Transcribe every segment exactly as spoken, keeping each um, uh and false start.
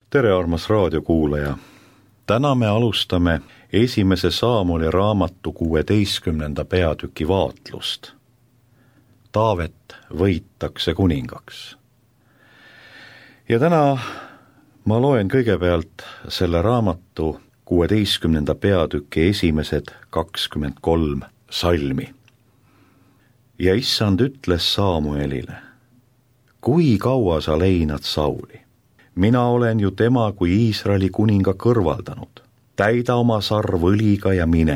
Tere, armas raadiokuulaja! Täna me alustame esimese Saamoli raamatu kuueteistkümnenda peatüki vaatlust. Taavet võitakse kuningaks. Ja täna ma loen kõigepealt selle raamatu kuueteistkümnenda peatüki esimesed kakskümmend kolm salmi. Ja issand ütles Saamuelile: kui kaua sa leinad Sauli? Mina olen ju tema kui Iisraeli kuninga kõrvaldanud. Täida oma sarv õliga ja mine.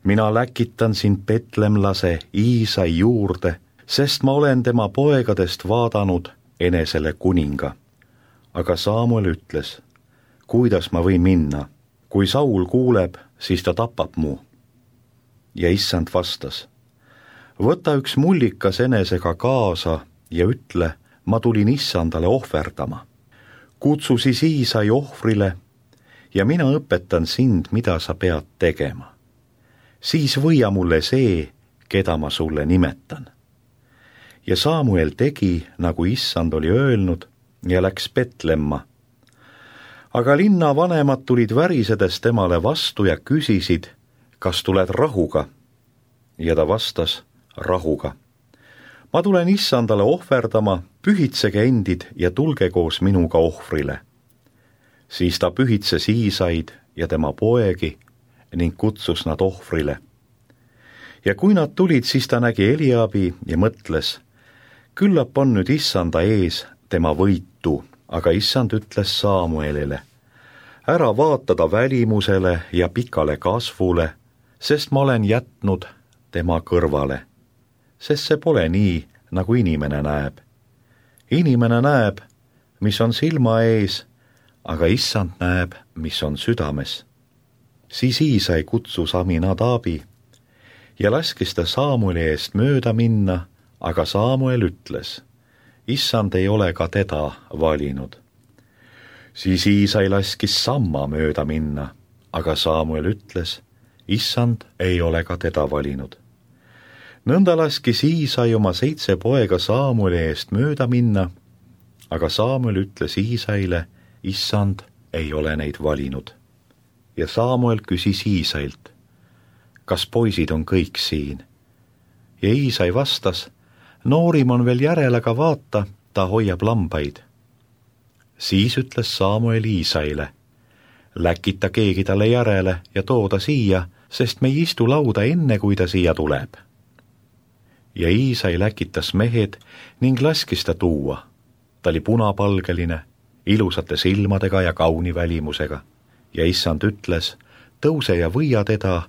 Mina läkitan sind petlemlase Iisai juurde, sest ma olen tema poegadest vaadanud enesele kuninga. Aga Saamuel ütles: kuidas ma võin minna? Kui Saul kuuleb, siis ta tapab mu. Ja issand vastas: võta üks mullikas enesega kaasa ja ütle, ma tulin issandale ohverdama. Kutsu siis Iisai ohvrile ja mina õpetan sind, mida sa pead tegema. Siis võia mulle see, keda ma sulle nimetan. Ja Saamuel tegi, nagu issand oli öelnud, ja läks Petlemma. Aga linna vanemad tulid värisedes temale vastu ja küsisid, kas tuled rahuga? Ja ta vastas: rahuga. Ma tulen issandale ohverdama, pühitsege endid ja tulge koos minuga ohvrile. Siis ta pühitses Iisaid ja tema poegi ning kutsus nad ohvrile. Ja kui nad tulid, siis ta nägi Eliabi ja mõtles: küllap on nüüd issanda ees tema võitu, aga issand ütles Saamuelile: ära vaata ta välimusele ja pikale kasvule, sest ma olen jätnud tema kõrvale. Sest see pole nii, nagu inimene näeb. Inimene näeb, mis on silma ees, aga issand näeb, mis on südames. Siis Iisai kutsus Aminadabi ja laskis ta Saamueli eest mööda minna, aga Saamuel ütles: issand ei ole ka teda valinud. Siis Iisai laskis Samma mööda minna, aga Saamuel ütles: issand ei ole ka teda valinud. Nõnda laskis Iisai oma seitse poega Saamueli eest mööda minna, aga Saamuel ütles Iisaile: issand ei ole neid valinud. Ja Saamuel küsis Iisailt: kas poisid on kõik siin? Ja Iisai vastas: noorim on veel järel, aga vaata, ta hoiab lambaid. Siis ütles Saamuel Iisaile: läkita keegi talle järele ja tooda siia, sest me ei istu lauda enne, kui ta siia tuleb. Ja Iisai läkitas mehed ning laskis ta tuua. Ta oli punapalgeline, ilusate silmadega ja kauni välimusega. Ja issand ütles: tõuse ja võia teda,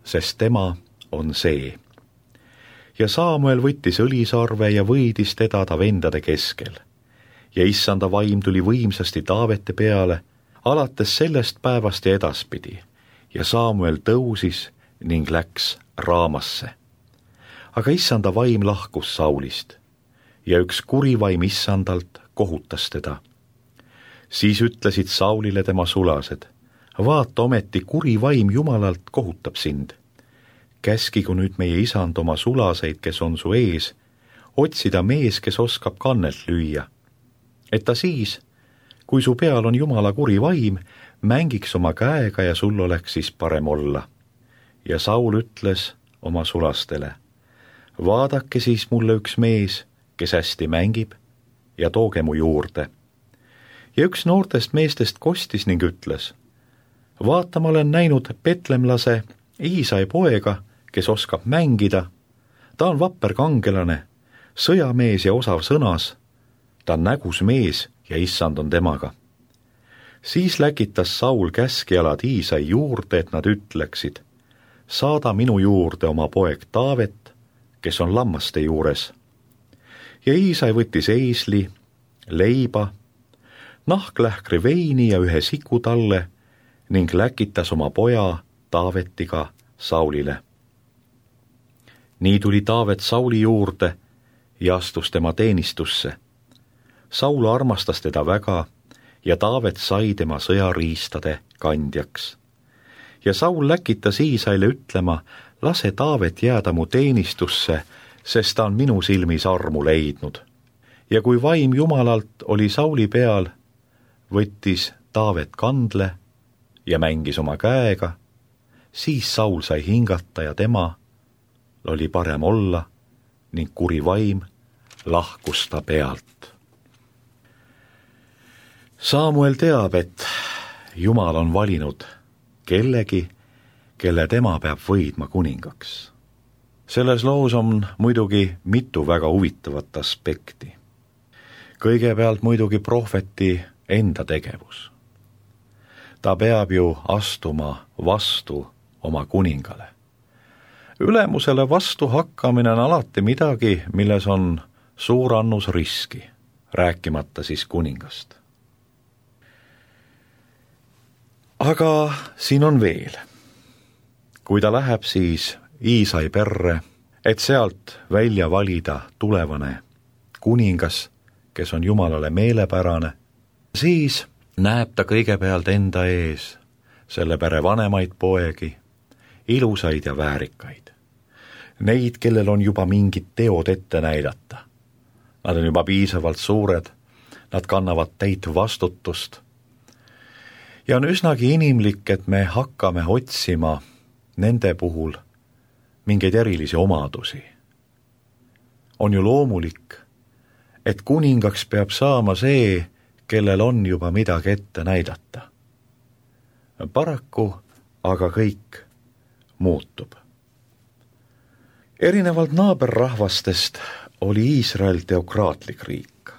sest tema on see. Ja Saamuel võttis õlisarve ja võidis teda ta vendade keskel. Ja issanda vaim tuli võimsasti Taavete peale, alates sellest päevast ja edaspidi. Ja Saamuel tõusis ning läks Raamasse. Aga issanda vaim lahkus Saulist ja üks kuri vaim issandalt kohutas teda. Siis ütlesid Saulile tema sulased: vaata, ometi kuri vaim Jumalalt kohutab sind. Käskigu nüüd meie isand oma sulaseid, kes on su ees, otsida mees, kes oskab kannelt lüüa. Et ta siis, kui su peal on Jumala kuri vaim, mängiks oma käega ja sul oleks siis parem olla. Ja Saul ütles oma sulastele: vaadake siis mulle üks mees, kes hästi mängib, ja tooge mu juurde. Ja üks noortest meestest kostis ning ütles: vaata, ma olen näinud petlemlase Iisai poega, kes oskab mängida. Ta on vapper kangelane, sõjamees ja osav sõnas. Ta on nägus mees ja issand on temaga. Siis läkitas Saul käskjalad Iisai juurde, et nad ütleksid: saada minu juurde oma poeg Taavet, kes on lammaste juures. Ja Iisai võttis eisli, leiba, nahklähkri veini ja ühe siku talle ning läkitas oma poja Taavetiga Saulile. Nii tuli Taavet Sauli juurde ja astus tema teenistusse. Saul armastas teda väga ja Taavet sai tema sõjariistade kandjaks. Ja Saul läkitas Iisaile ütlema: lase Taavet jääda mu teenistusse, sest ta on minu silmis armu leidnud. Ja kui vaim Jumalalt oli Sauli peal, võttis Taavet kandle ja mängis oma käega, siis Saul sai hingata ja tema oli parem olla ning kuri vaim lahkus ta pealt. Saamuel teab, et Jumal on valinud kellegi, kelle tema peab võidma kuningaks. Selles loos on muidugi mitu väga huvitavat aspekti. Kõigepealt muidugi prohveti enda tegevus. Ta peab ju astuma vastu oma kuningale. Ülemusele vastu hakkamine on alati midagi, milles on suur annus riski, rääkimata siis kuningast. Aga siin on veel. Kui ta läheb siis Iisai perre, et sealt välja valida tulevane kuningas, kes on Jumalale meelepärane, siis näeb ta kõigepealt enda ees selle pere vanemaid poegi, ilusaid ja väärikaid. Neid, kellel on juba mingid teod ette näidata. Nad on juba piisavalt suured, nad kannavad täit vastutust. Ja on üsnagi inimlik, et me hakkame otsima nende puhul mingeid erilisi omadusi. On ju loomulik, et kuningaks peab saama see, kellel on juba midagi ette näidata. Paraku aga kõik muutub. Erinevalt naaberrahvastest oli Iisrael teokraatlik riik.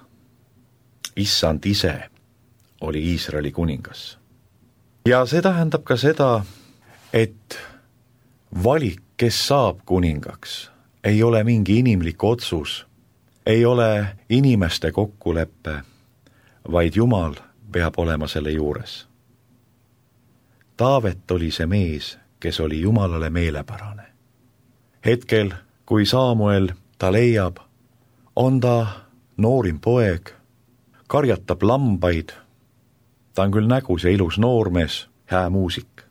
Issand ise oli Iisraeli kuningas. Ja see tähendab ka seda, et valik, kes saab kuningaks, ei ole mingi inimlik otsus, ei ole inimeste kokkuleppe, vaid Jumal peab olema selle juures. Taavet oli see mees, kes oli Jumalale meelepärane. Hetkel, kui Saamuel ta leiab, on ta noorim poeg, karjatab lambaid, ta on küll nägus ja ilus noormees, hää muusik.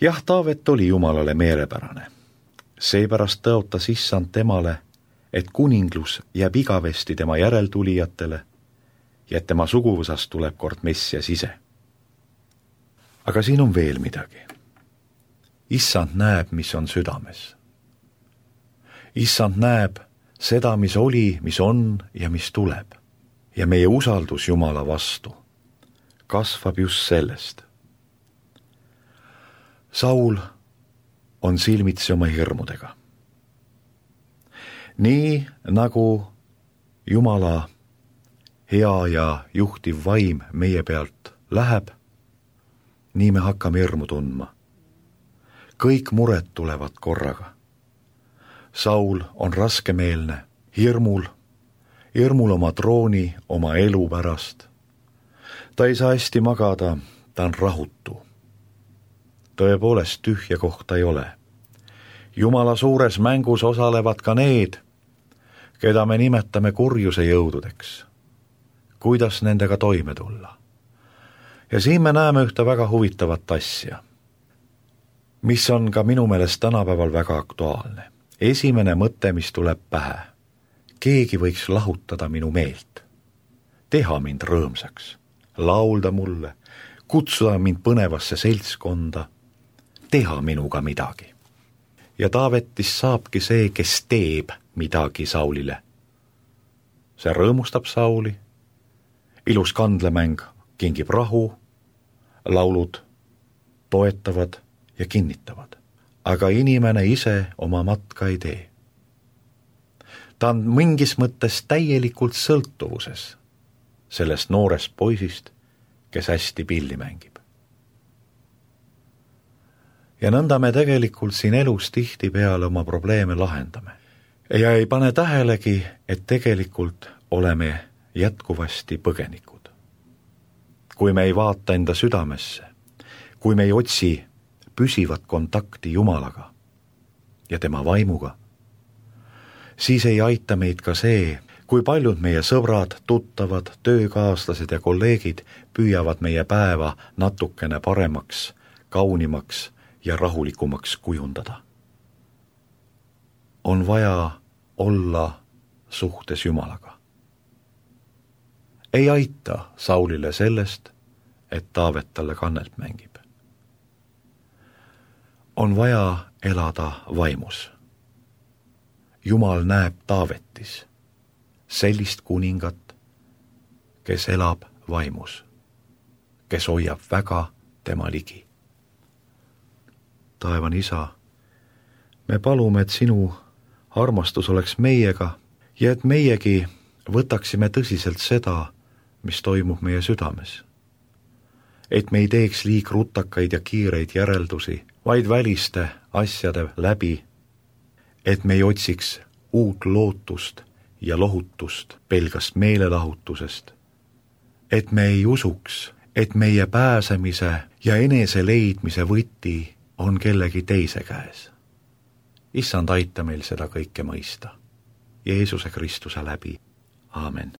Jah, Taavet oli Jumalale meelepärane. Seepärast tõotas issand temale, et kuninglus jääb igavesti tema järeltulijatele ja et tema suguvõsast tuleb kord Messias ise. Aga siin on veel midagi. Issand näeb, mis on südames. Issand näeb seda, mis oli, mis on ja mis tuleb. Ja meie usaldus Jumala vastu kasvab just sellest. Saul on silmitsi oma hirmudega. Nii nagu Jumala hea ja juhtiv vaim meie pealt läheb, nii me hakkame hirmu tundma. Kõik mured tulevad korraga. Saul on raskemeelne, hirmul, hirmul oma trooni, oma elu pärast. Ta ei saa hästi magada, ta on rahutu. Tõepoolest tühja kohta ei ole. Jumala suures mängus osalevad ka need, keda me nimetame kurjuse jõududeks. Kuidas nendega toime tulla? Ja siin me näeme ühte väga huvitavat asja, mis on ka minu meelest tänapäeval väga aktuaalne. Esimene mõte, mis tuleb pähe. Keegi võiks lahutada minu meelt. Teha mind rõõmsaks. Laulda mulle. Kutsuda mind põnevasse seltskonda. Teha minuga midagi. Ja Taavetist saabki see, kes teeb midagi Saulile. See rõõmustab Sauli. Ilus kandlemäng kingib rahu. Laulud toetavad ja kinnitavad. Aga inimene ise oma matka ei tee. Ta on mingis mõttes täielikult sõltuvuses sellest noorest poisist, kes hästi pilli mängib. Ja nõnda me tegelikult siin elus tihti peale oma probleeme lahendame. Ja ei pane tähelegi, et tegelikult oleme jätkuvasti põgenikud. Kui me ei vaata enda südamesse, kui me ei otsi püsivat kontakti Jumalaga ja tema vaimuga, siis ei aita meid ka see, kui paljud meie sõbrad, tuttavad, töökaaslased ja kolleegid püüavad meie päeva natukene paremaks, kaunimaks ja rahulikumaks kujundada. On vaja olla suhtes Jumalaga. ei aita Saulile sellest, et Taavet talle kannelt mängib. On vaja elada vaimus. Jumal näeb Taavetis sellist kuningat, kes elab vaimus, kes hoiab väga tema ligi. Taevane Isa, me palume, et sinu armastus oleks meiega ja et meiegi võtaksime tõsiselt seda, mis toimub meie südames. Et me ei teeks liig rutakaid ja kiireid järeldusi, vaid väliste asjade läbi, et me ei otsiks uut lootust ja lohutust pelgast meelelahutusest, et me ei usuks, et meie pääsemise ja enese leidmise võti on kellegi teise käes. Issand, aita meil seda kõike mõista. Jeesuse Kristuse läbi. Aamen.